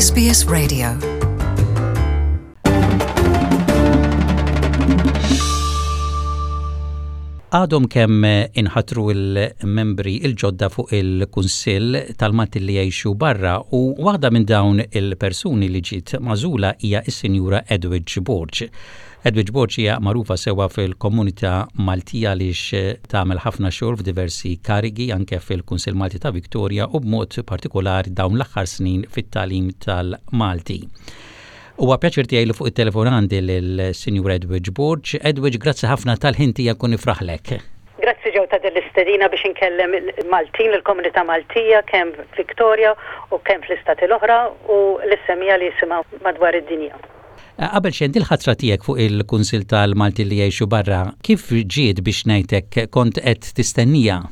SBS Radio. Għadhom kemm inħatru l-membri il-ġodda fuq il-Kunsill tal-Malti li jgħixu barra u waħda minn dawn il-persuni li ġiet magħżula hija s-Sinjura Edwidge Borg. Edwidge Borg hija magħrufa sewwa fil-komunità Maltija għaliex tagħmel ħafna xogħol f'diversi karigi anke fil-Kunsill Malti ta' Victoria u b'mod partikolari dawn l-aħħar snin fit-tagħlim tal-Malti. Huwa pjaċir tiegħi li fuq it-telefon għandi lill-Sinjur Edwidge Borg. Edwidge, grazzi ħafna tal-ħin tiegħek u nifraħlek. Grazzi Joe ta' din l-istedina biex inkellem il-Maltin, il-komunità Maltija kemm f'Victoria u kemm fl-istati l-oħra u lis-semmiegħa li jisimgħu madwar id-dinja. Qabel xejn, dil-ħatra tiegħek fuq il-Kunsill tal-Maltin li jgħixu barra, kif ġiet biex ngħid hekk, kont qed tistennija?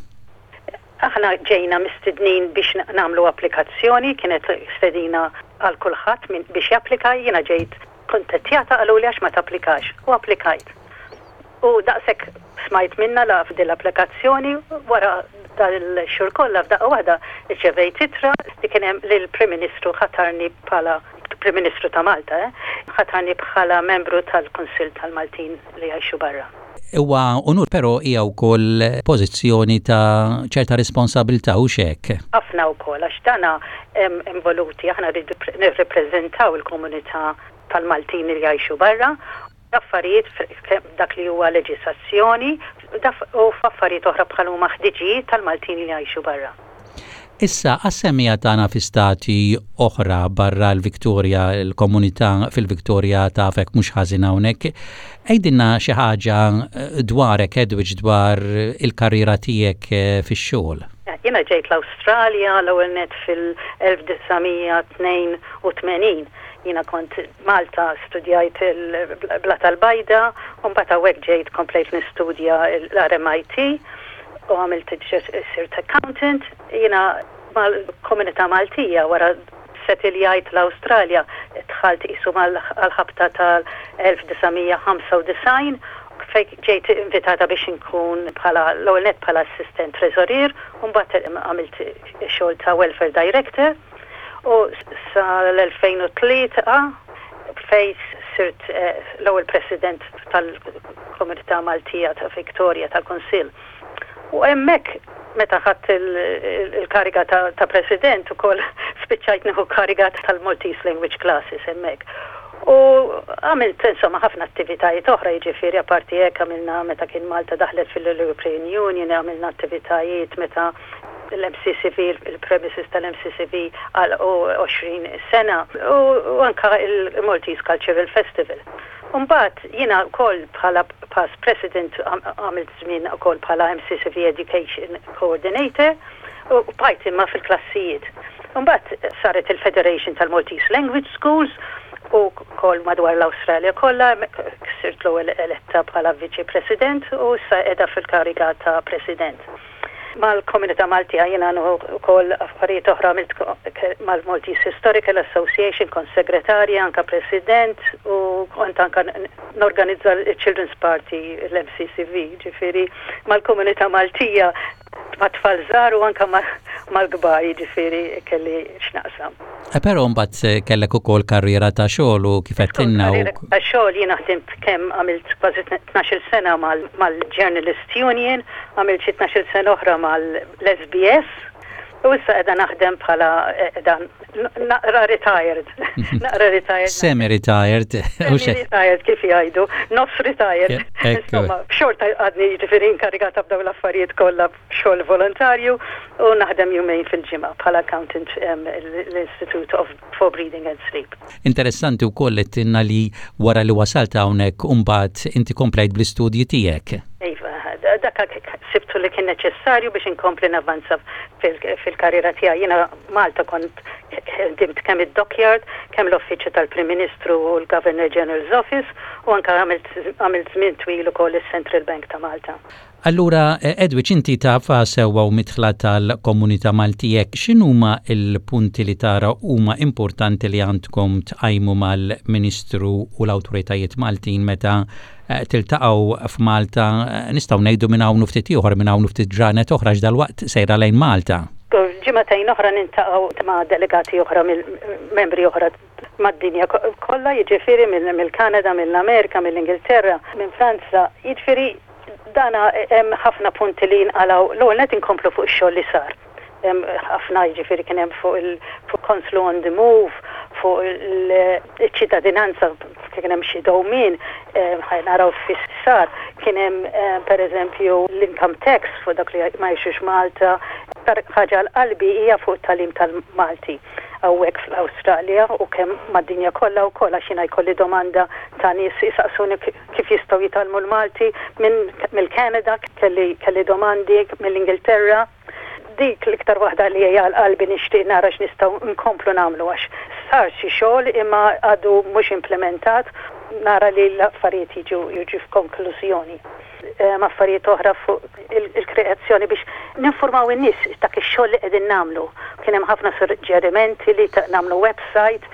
Aħna ġejna mistednin biex nagħmlu applikazzjoni, kienet stedina għal kulħadd biex japplika, jiena ġejt kuntattjata qaluli għax ma tapplikax u applikajt. U daqshekk smajt minnha la f'din l-applikazzjoni, wara dal-xhur kollha f'daqqa waħda rċevejt ittra li kien hemm li l-Prim Ministru ħatarni bħala Prim Ministru ta' Malta, eh, ħatarni bħala membru tal-Kunsill tal-Maltin li jgħixu barra. Huwa unur però hija wkoll pożizzjoni ta' ċerta responsabilità hux hekk? Ħafna wkoll għax dana hemm involuti aħna rridu nirrippreżentaw il-komunità tal-Maltin li jgħixu barra F'affarijiet f'dak li huwa leġisazzjoni u f'affarijiet oħra bħal huma ħtiġijiet tal-Maltin li jgħixu barra. Issa, għas-semmiegħa tagħna fi stati oħra barra l-Victoria, il-komunità fil-Victoria tafek mhux ħażin hawnhekk, għidilna xi ħaġa dwarek Edwidge dwar il-karriera tiegħek fix-xogħol. Jiena ġejt l-Awstralja l-ewwel nett fil-1982. Jiena kont Malta studjajt il-Blata l-Bajda u mbagħad hawnhekk ġejt komplejt nistudja l-RMIT u għamilt sirt accountant. Jiena mal-komunità Maltija wara setiljajt l-Awstralja dħalt qisu mal-ħabta tal-1995 fejn ġejt invitata biex inkun bħala l-ewwel nett bħala assistent treżorier u mbagħad għamilt xogħol ta' welfare director. U sal-2003 fejn sirt l-ewwel President tal-Komunità Maltija ta' Victoria tal-Kunsill. U hemmhekk meta ħadt il-kariga ta' President ukoll spiċċajt nieħu kariga tal-Maltese Language Classes hemmhekk. U għamilt insomma ħafna attivitajiet oħra jiġifieri apparti hekk għamilna meta kien Malta daħlet fil-European Union għamilna attivitajiet meta l-MCCV, il-premises tal-MCCV għalqu 20 sena u anka il-Maltese Cultural Festival. Umbagħad jiena wkoll bħala past president għamilt żmien ukoll bħala MCCV Education Coordinator u bqajt imma fil-klassijiet. Umbagħad saret il-Federation tal-Maltese Language Schools u wkoll madwar l-Awstralja kollha, sirt l-ewwel eletta bħala Viċi President u issa qiegħda fil-kariga ta' President. Mal-komunità Maltija jiena nieħu wkoll affarijiet oħra għamilt mal-Maltese Historical Association, kont segretarja, anke president u kont anke norganizza l-Children's Party l-MCCV, ġifieri mal-komunità Maltija mat-tfal żgħar u anke mal-kbar jiġifieri kelli x'naqsam. Però mbagħad kellek ukoll karriera ta' xogħol u kif għedtilna u. Karriera ta' xogħol jiena ħdimt kemm għamilt kważi 12-il sena mal-Journalist Union, għamilt xi 12-il sena oħra mal-SBS u issa qiegħda naħdem bħala qiegħda naqra retired. Naqra retired. Semi retired. Semi retired kif jgħidu, nofs retired. Insomma, xorta għadni jiġifieri inkarigata b'dawn l-affarijiet kollha xogħol volontarju u naħdem jumejn fil-ġimgħa bħala accountant l-Institute of for Breathing and Sleep. Interessanti wkoll li għedtilna li wara li wasalt hawnhekk imbagħad inti komplejt bl-istudji tiegħek. Iva, dak sibtu li kien neċessarju biex inkompli navvanza fil-karriera tiegħi. Jiena Malta kont ħdimt kemm id-Dockyard, kemm l-Uffiċċju tal-Prim Ministru u l-Governor General's Office u anke għamilt żmien twil ukoll is-Central Bank ta' Malta. Allura, Edwidge, inti tafha sewwa u midħla tal-komunità Maltija, x'inhuma l-punti li tara huma importanti li għandkom tqajmu mal-Ministru u l-awtoritajiet Maltin meta tiltaqgħu f'Malta, nistgħu ngħidu minn hawn u ftit ieħor, minn hawn u ftit ġranet oħra għax dalwaqt sejra lejn Malta? Żgur. Ġimagħtejn oħra niltaqgħu ma' delegati oħra mill-membri oħra mad-dinja kollha, jiġifieri mill-Kanada, mill-Amerika, mill-Ingilterra, minn Franza, jiġifieri dana hemm ħafna punti li jinqalgħu. L-ewwel nett inkomplu fuq ix-xogħol li sar. Hemm ħafna jiġifieri kien hemm fuq il-Konslu on the Move, fuq il-ċittadinanza kien hemm xi dewmien, ħa naraw fiex sar. Kien hemm pereżempju l-income tax fuq dawk li ma jgħixux Malta. Aktar ħaġa għal qalbi hija fuq it-tagħlim tal-Malti hawnhekk fl-Awstralja u kemm mad-dinja kollha wkoll għax jiena jkolli domanda ta' nies isaqsuni kif jistgħu jitgħallmu l-Malti minn mill-Canada kelli kelli domandi mill-Ingilterra. Dik l-iktar waħda li hija għal qalbi nixtieq nara x'nistgħu nkomplu nagħmlu għax sar xi xogħol imma għadu mhux implementat nara li l-affarijiet jiġu jiġu f'konklużjoni. Hemm affarijiet oħra fuq il-kreazzjoni biex ninfurmaw in-nies dak ix-xogħol li qegħdin nagħmlu. Kien hemm ħafna suġġerimenti li nagħmlu website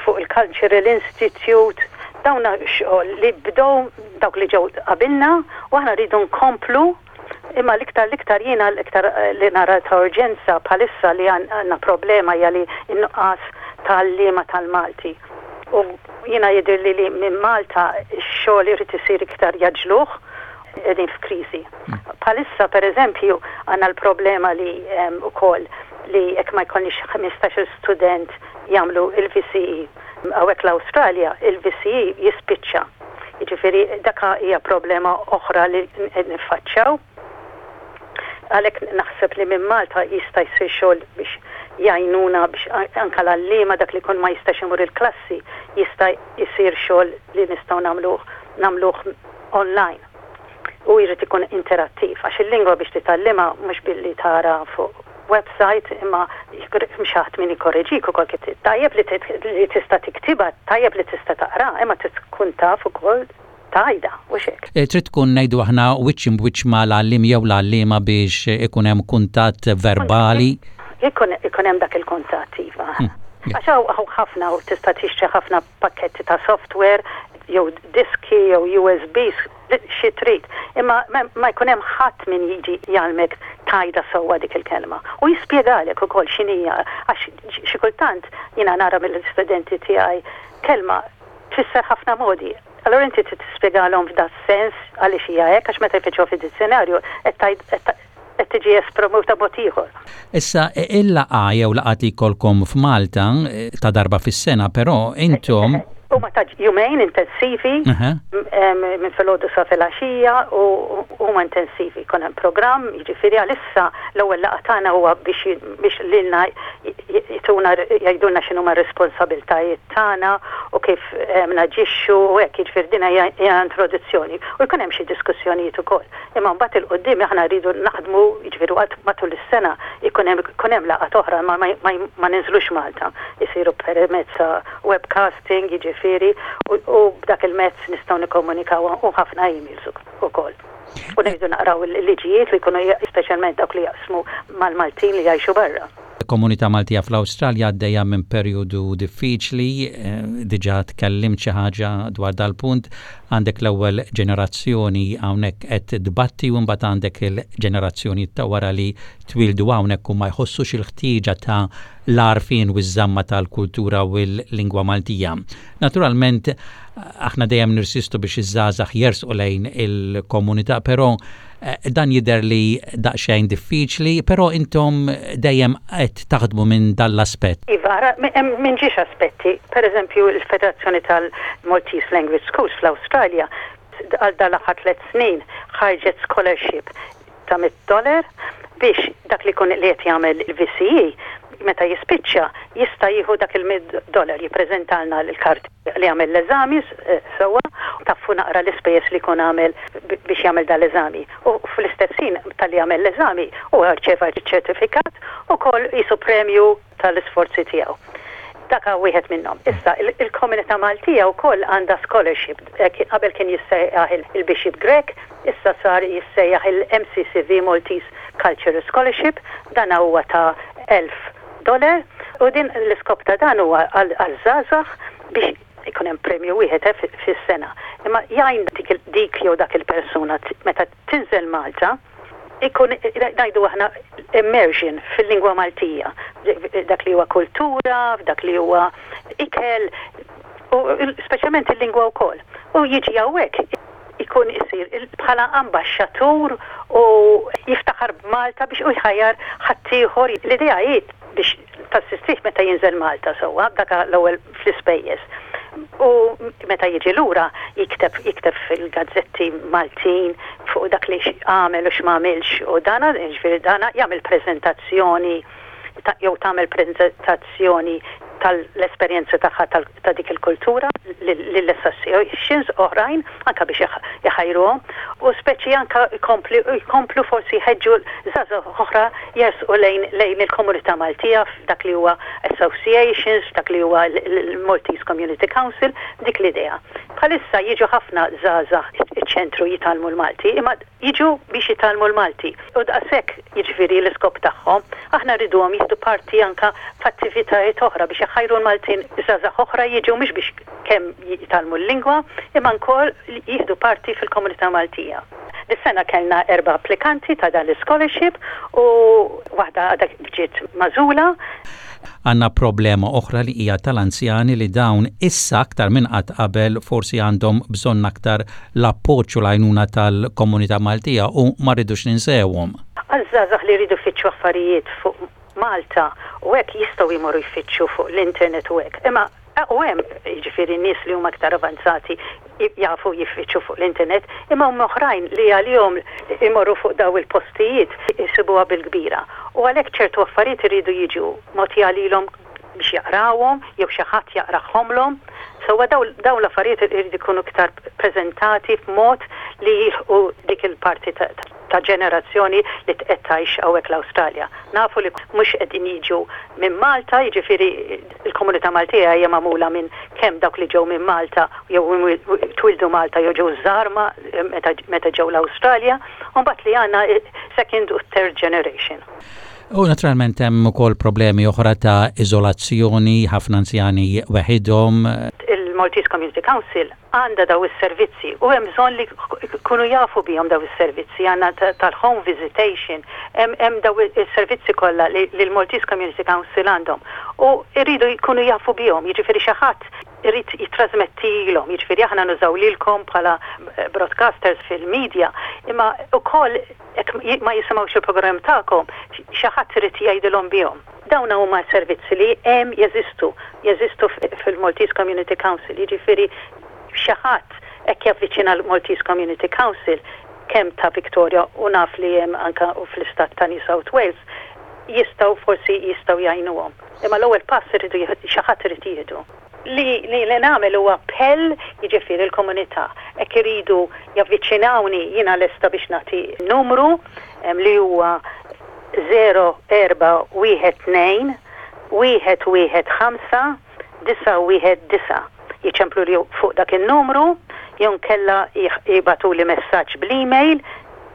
fuq il-Cultural Institute. Dawn xogħol li bdew dawk li ġew qabilna u aħna rridu nkomplu imma l-iktar l-iktar jiena l-iktar li nara ta' urġenza bħalissa li għandna problema hija li n-nuqqas ta' għalliema tal-Malti. U jiena jidhirli li minn Malta x-xogħol irid isir iktar jgħaġġluh qegħdin f'kriżi. Bħalissa pereżempju għandna l-problema li wkoll li jekk ma jkollniex 15-il student jagħmlu il-VCE hawnhekk l-Awstralja, il-VCE jispiċċa. Jiġifieri dak hija problema oħra li qed niffaċċjaw. Għalhekk naħseb li minn Malta jista' jsir xogħol biex jgħinuna biex anke l-għalliema dak li jkun ma jistax imur il-klassi jista' jsir xogħol li nistgħu nagħmluh nagħmluh online. U jrid ikun interattiv għax il-lingwa biex titgħallimha mhux billi tara fuq website imma xi ħadd min jikkoreġik ukoll kif tajjeb li tista' tiktibha, tajjeb li tista' taqra, imma trid tkun taf ukoll tgħidha, hux hekk? Trid tkun ngħidu aħna wiċċ imb'wiċċ mal-għalliem jew l-għalliema biex ikun hemm kuntatt verbali. Ikun ikun hemm dak il-kuntatt, iva. Għax hawn ħafna u tista' tixtri ħafna pakketti ta' software jew diski jew USBs xi trid. Imma ma jkun hemm ħadd min jiġi jgħallmek tgħidha sewwa dik il-kelma. U jispjegalek ukoll x'inhija għax xi kultant jiena nara mill-istudenti tiegħi kelma tfisser ħafna modi. Allura inti trid tispjegalhom f'da sens għaliex hija hekk għax meta jfittxuha fid-dizzjonarju qed tgħid qed tiġi esprimuta b'mod ieħor. Issa, il-laqgħa jew laqgħat li jkollkom f'Malta ta' darba fis-sena, però intom. Huma ta' jumejn intensivi minn filgħodu sa filgħaxija u huma intensivi. Jkun hemm programm, jiġifieri għalissa l-ewwel laqgħa tagħna huwa biex biex lilna jtuna jgħidulna x'inhuma r-responsabbiltajiet tagħna u kif naġixxu u hekk, jiġifieri din hija introduzzjoni. U jkun hemm xi diskussjonijiet ukoll. Imma mbagħad 'il quddiem aħna rridu naħdmu, jiġifieri waqt matul is-sena jkun hemm ikun hemm laqgħat oħra imma ma ma ma ninżlux Malta. Isiru permezz ta' webcasting, jiġifieri, u u b'dak il-mezz nistgħu nikkomunikaw u ħafna emails ukoll. U ngħidu naqraw il-liġijiet li jkunu speċjalment dawk li jaqsmu mal-Maltin li jgħixu barra. Il-komunità Maltija fl-Awstralja għaddejja minn perjodu diffiċli, diġà tkellimt xi ħaġa dwar dal-punt, għandek l-ewwel ġenerazzjoni hawnhekk qed tbatti u mbagħad għandek il-ġenerazzjoni ta' wara li twieldu hawnhekk u ma jħossux il-ħtieġa ta' l-għarfien u ż-żamma tal-kultura u l-lingwa Maltija. Naturalment, aħna dejjem nirsistu biex iż-żgħażagħ jersqu lejn il-komunità, però Dan jidher li daqsxejn diffiċli, però intom dejjem qed taħdmu minn dan l-aspett. Iva, ara, minn ġiex aspetti. Per eżempju, il-Federazzjoni tal-Maltese Language Schools fl-Awstralja għal dan l-aħħar tlett snin ħarġet scholarship ta' $100 biex dak li jkun li qed jagħmel il-VCE meta jispiċċa jista' jieħu dak il-$100 jippreżentalna l-karti li għamel l-eżami sewwa, taffu naqra l-ispejjeż li jkun għamel biex jagħmel dan l-eżami. U fl-istess ħin talli għamel l-eżami huwa rċeva ċ-ċertifikat ukoll qisu premju tal-isforzi tiegħu. Dak wieħed minnhom. Issa, il-komunità Maltija wkoll għandha scholarship. Qabel kien jissejjaħ il-Bishop Grech, issa sar jissejjaħ il-MCCV Maltese Cultural Scholarship. Dan huwa ta' $1,000 u din l-iskop ta' dan huwa għaż-żgħażagħ biex ikun hemm premju wieħed fis-sena. Imma jgħin dik jew dak il-persuna meta tinżel Malta. Ikun, ngħidu aħna, immersion fil-lingwa Maltija, dak li huwa kultura, f'dak li huwa ikel, u speċjalment il-lingwa wkoll. U jiġi hawnhekk ikun isir bħala ambaxxatur u jiftaħar b'Malta biex u jħajjar ħaddieħor. L-idea hi biex tassistih meta jinżel Malta sewwa, dak l-ewwel fl-ispejjeż. U meta jiġi lura jikteb jikteb fil-gazzetti Maltin fuq dak li għamel u x'm'għamilx u dana, jiġifieri dana jagħmel preżentazzjoni jew tagħmel preżentazzjoni tal-esperjenza tagħha ta' dik il-kultura lill-associations oħrajn anke biex iħajruhom u speċi anke jkomplu forsi jħeġġu żgħażagħ oħra jersqu lejn lejn il-komunità Maltija f'dak li huwa associations, f'dak li huwa l-Maltese Community Council, dik l-idea. Bħalissa jiġu ħafna żgħażagħ iċ-ċentru jitgħallmu l-Malti imma jiġu biex jitgħallmu l-Malti. U daqshekk, jiġifieri l-iskop tagħhom. Aħna rriduhom jieħdu parti anke f'attivitajiet oħra biex iħajru l-Maltin żgħażagħ oħra jiġu mhux biex kemm jitgħallmu l-lingwa imma wkoll jieħdu parti fil-komunità Maltija. Dis-sena kellna erba' applikanti ta' dan l-ischolarship u waħda għadha kif ġiet magħżula. Għandna problema oħra li hija tal-anzjani li dawn issa aktar minn qatt qabel forsi għandhom bżonn aktar l-appoġġ u l-għajnuna tal-komunità Maltija u ma rridux ninsewhom. Għaż-żgħażagħ li jridu jfittxu affarijiet fuq Malta u hekk jistgħu jmorru jfittxu fuq l-internet u hekk. Imma u hemm jiġifieri nies li huma aktar avanzati jafu jiffittxu fuq l-internet, imma hemm oħrajn li għalihom imorru fuq daw il-postijiet isibuha bil-kbira. U għalhekk ċertu affarijiet iridu jiġu mogħtija lilhom biex jaqrawhom jew xi ħadd jaqrahomlhom. Sewwa dawn l-affarijiet iridu jkunu iktar preżentati f'mod li jilħqu dik il-parti ta' ġenerazzjoni li qed tgħix hawnhekk l-Awstralja. Nafu li mhux qegħdin jiġu minn Malta, jiġifieri l-komunità Maltija hija magħmula minn kemm dawk li ġew minn Malta jew twieldu Malta jew ġew żgħar meta ġew l-Awstralja, u mbagħad li għandna second u third generation. U naturalment hemm ukoll problemi oħra ta' iżolazzjoni, ħafna anzjani weħidhom. Il-Maltese Community Council għandha daw is-servizzi u hemm bżonn li jkunu jafu bihom daw is-servizzi, għandna tal-home visitation, hemm daw is-servizzi kollha li l-Maltese Community Council għandhom u jridu jkunu jafu bihom, jiġifieri xi ħadd irid jittrasmettilhom, jiġifieri aħna nużaw lilkom bħala broadcasters fil-media, imma wkoll jekk ma jisimgħux il-programm tagħkom, xi ħadd irid jgħidilhom bihom. Dawn huma servizzi li hemm jeżistu, jeżistu fil-Maltese Community Council, jiġifieri xi ħadd hekk javviċina l-Maltese Community Council kemm ta' Victoria u naf li hemm anke fl-istat ta' New South Wales, jistgħu forsi jistgħu jgħinuhom. Imma l-ewwel pass iridu xi ħadd irid jieħdu. Li li nagħmel huwa appell jiġifieri l-komunità hekk iridu javviċinawni jiena lesta biex nagħti numru li huwa 0412 115 919. Jiċempluli fuq dak in-numru jew inkella jibagħtuli messaġġ bl-email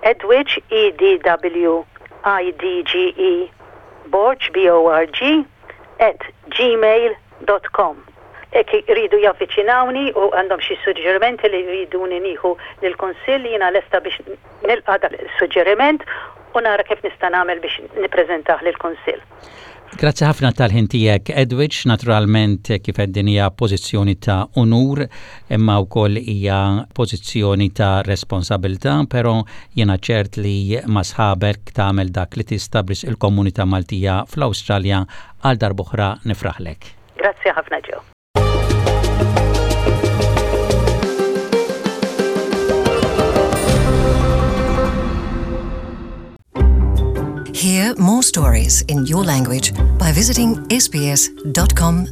edwidge, E D W I D G E, borg, B O R G, at gmail dot com. Jekk iridu javviċinawni u għandhom xi suġġerimenti li jriduni nieħu lill-Kunsill, jiena lesta biex nilqa' dak is-suġġeriment u nara kif nista' nagħmel biex nippreżentah lill-Kunsill. Grazzi ħafna tal-ħin tiegħek Edwidge, naturalment kif għedt din hija pożizzjoni ta' unur imma wkoll hija pożizzjoni ta' responsabilità, però jiena ċert li ma' sħabek tagħmel dak li tista' b'risq il-komunità Maltija fl-Awstralja għal darb'oħra nifraħlek. Grazzi ħafna Joe. Hear more stories in your language by visiting sbs.com.au.